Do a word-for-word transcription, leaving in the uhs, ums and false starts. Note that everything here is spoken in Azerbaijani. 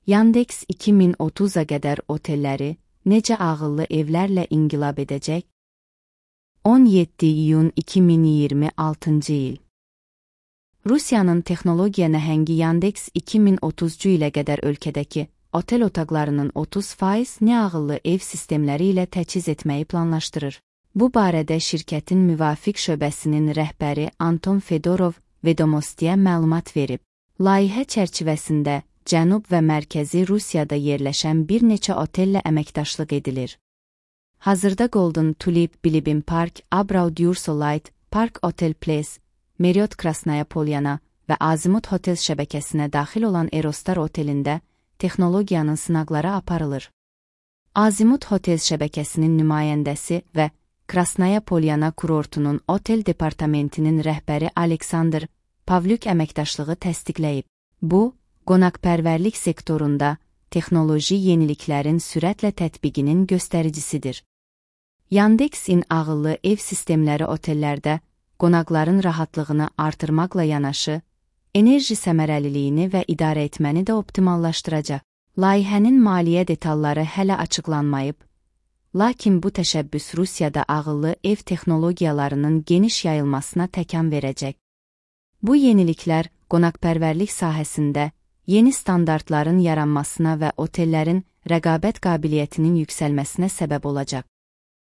Yandex iki min otuz'a qədər otelləri necə ağıllı evlərlə inqilab edəcək? on yeddi iyun iki min iyirmi altıncı il. Rusiyanın texnologiya nəhəngi Yandex iki min otuzcu ilə qədər ölkədəki otel otaqlarının otuz faiz neağıllı ev sistemləri ilə təchiz etməyi planlaşdırır. Bu barədə şirkətin müvafiq şöbəsinin rəhbəri Anton Fedorov Vedomostiyə məlumat verib. Layihə çərçivəsində Cənub və Mərkəzi Rusiyada yerləşən bir neçə otellə əməkdaşlıq edilir. Hazırda Golden Tulip, Bilibin Park, Abraud Yursolite, Park Otel Place, Marriott Krasnaya Polyana və Azimut Hotel şəbəkəsinə daxil olan Erostar otelində texnologiyanın sınaqları aparılır. Azimut Hotel şəbəkəsinin nümayəndəsi və Krasnaya Polyana kurortunun otel departamentinin rəhbəri Aleksandr Pavlyuk əməkdaşlığı təsdiqləyib. Bu, qonaqpərvərlik sektorunda texnoloji yeniliklərin sürətlə tətbiqinin göstəricisidir. Yandexin ağıllı ev sistemləri otellərdə qonaqların rahatlığını artırmaqla yanaşı, enerji səmərəliliyini və idarə etməni də optimallaşdıracaq. Layihənin maliyyə detalları hələ açıqlanmayıb, lakin bu təşəbbüs Rusiyada ağıllı ev texnologiyalarının geniş yayılmasına təkan verəcək. Bu yeniliklər qonaqpərvərlik sahəsində yeni standartların yaranmasına və otellərin rəqabət qabiliyyətinin yüksəlməsinə səbəb olacaq.